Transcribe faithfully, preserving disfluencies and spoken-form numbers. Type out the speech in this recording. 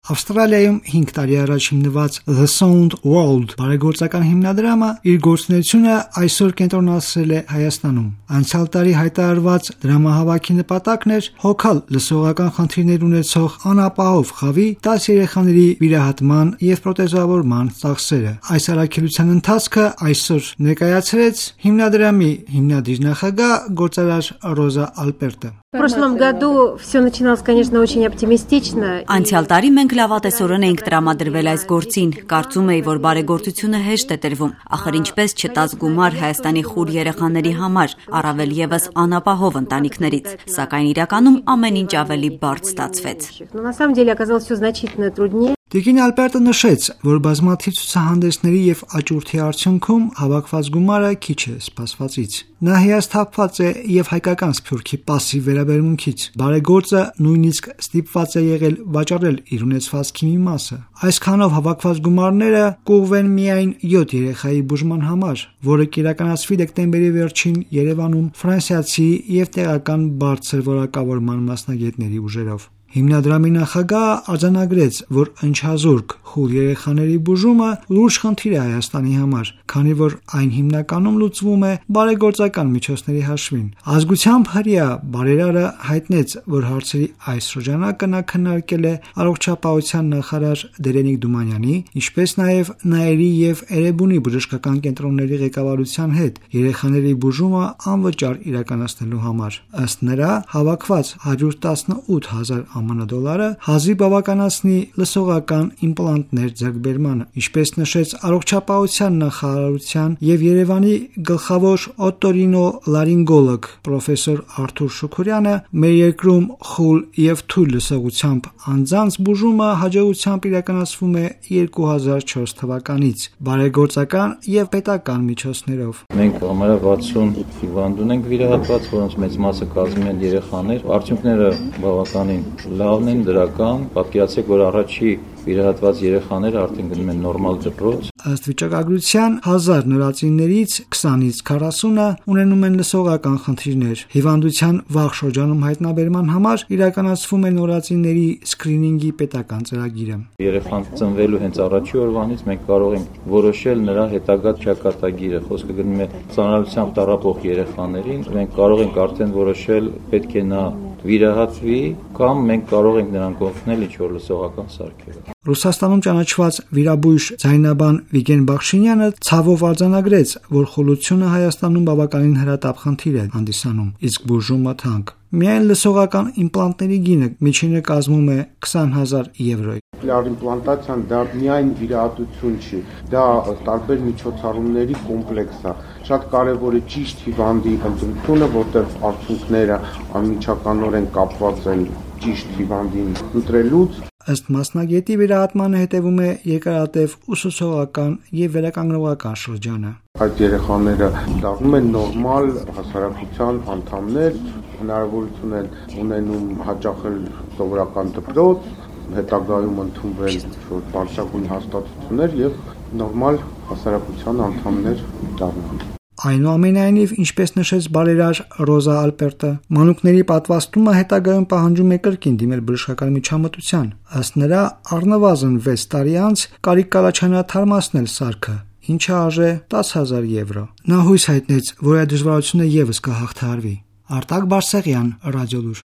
Ավստրալիայում հինգ տարի առաջ հիմնված The Sound World բարեգործական հիմնադրամը իր գործունեությունը այսօր կենտրոնացրել է Հայաստանում։ Անցյալ տարի հայտարարված դրամահավաքի նպատակն էր հոգալ լսողական խնդիրներ ունեցող անապահով խավի տասը երեխաների վիրահատման եւ պրոթեզավորման ծախսերը։ Այս առաքելության ընթացքը այսօր ներկայացրեց հիմնադրամի հիմնադիր նախագահ գործարար Ռոզա Ալպերտը։ В прошлом году все начиналось, конечно, очень оптимистично. Անցյալ տարի մենք լավատեսորեն էինք տրամադրվել այս գործին։ Կարծում էի, որ բարեգործությունը հեշտ է տրվում։ Ախր ինչպես չտաց գումար Հայաստանի խուլ երեխաների համար, առավել եւս անապահով ընտանիքներից։ Սակայն իրականում ամեն ինչ ավելի բարդ ստացվեց։ Но на самом деле оказалось все значительно труднее. Տիկին Ալպերտը նշեց, որ բազմաթիվ ցուցահանդեսների եւ աճուրդի արդյունքում հավաքված գումարը քիչ է սպասվածից։ Նա հիասթափված է եւ հայկական սփյուռքի пассив վերաբերմունքից։ Բարեգործը նույնիսկ ստիպված է եղել վաճառել իր ունեցվածքի մի մասը։ Այսքանով հավաքված գումարները կուղվեն միայն յոթ երեխայի բուժման համար, որը կիրականացվի դեկտեմբերի վերջին Երևանում ֆրանսիացի եւ տեղական բարձր որակավորման մասնագետների ուժերով։ Հիմնադրամի նախագահը արձանագրեց, որ ընչազուրկ խուլ երեխաների բուժումը լուրջ խնդիր է Հայաստանի համար, քանի որ այն հիմնականում լուծվում է բարեգործական միջոցների հաշվին։ Ազգությամբ հրեա բարերարը հայտնեց, որ հարցերի այս շրջանակը նա քննարկել է առողջապահության նախարար Դերենիկ Դումանյանի, ինչպես նաև Նաիրի եւ Էրեբունի բժշկական կենտրոնների ղեկավարության հետ երեխաների բուժումը անվճար իրականացնելու համար։ Ըստ նրա, հավաքված հարյուր տասնութ հազար ԱՄՆ դոլարը հազիվ բավականացնի լսողական իմպլանտներ ձեռքբերմանը, ինչպես նշեց առողջապահության նախարարության եւ Երևանի գլխավոր օտորինոլարինգոլոգ պրոֆեսոր Արթուր Շուքուրյանը, մեր երկրում խուլ եւ թույլ լսողությամբ անձանց բուժումը հաջողությամբ իրականացվում է երկու հազար չորս թվականից բարեգործական եւ պետական միջոցներով։ Մենք համարյա վաթսուն հիվանդ ունենք վիրահատված, որոնց մեծ մասը կազմում են երեխաներ։ Արդյունքները բավականին լավն են, դրական, պատկերացեք, որ առաջի վիրահատված երեխաները արդեն գնում են նորմալ դպրոց։ Ըստ վիճակագրության հազար նորածիններից քսանից քառասունը ունենում են լսողական խնդիրներ։ Հիվանդության վաղ շրջանում հայտնաբերման համար իրականացվում է նորածինների սկրինինգի պետական ծրագիրը։ Երեխան ծնվելու հենց առաջի օրվանից մենք կարող ենք որոշել նրա հետագա ճակատագիրը։ Խոսքը գնում է ծանրությամբ տառապող երեխաներին, մենք կարող ենք արդեն որոշել պետք է նա վիրահատվի կամ մենք կարող ենք նրան օգնել ինչ-որ լսողական սարքերով։ Ռուսաստանում ճանաչված վիրաբույժ ձայնաբան Վիգեն Բախշինյանը ցավով արձանագրեց, որ խոլությունը Հայաստանում բավականին հրատապ խնդիր է հանդիսանում, իսկ բուժումը թանկ։ Միայն լսողական իմպլանտների գինը միջինը կազմում է քսան հազար եվրո։ Իմպլանտացիան դա միայն վիրահատություն չի, դա տարբեր միջոցառումների կոմպլեքս է։ Շատ կարևոր է ճիշտ հիվանդի ընտրությունը, որտեղ արդյունքները անմիջականորեն կապված են ճիշտ հիվանդին ընտրելուց։ Ըստ մասնագետի վիրահատմանը հետևում է երկարատև ուսուցողական եւ վերականգնողական շրջանը։ Այդ երեխաները դառնում են նորմալ հասարակության անդամներ, հնարավորություն են ունենում հաճախել սովորական դպրոց, հետագայում ընդունվել որ բարձրագույն հաստատություններ եւ նորմալ հասարակության անդամներ դառնալ։ Այնուամենայնիվ, ինչպես նշեց բարերար Ռոզա Ալպերտը, մանուկների պատվաստումը հետագայում պահանջում է կրկին դիմել բժշկական միջամտության։ Ըստ նրա, առնվազն վեց տարի անց կարիք կառաջանա թարմացնել սարքը, ինչը արժե տասը հազար եվրո։ Նա հույս հայտնեց, որ այդ դժվարությունը եւս կհաղթահարվի։ Արտակ Բարսեղյան, Ռադիոլուր։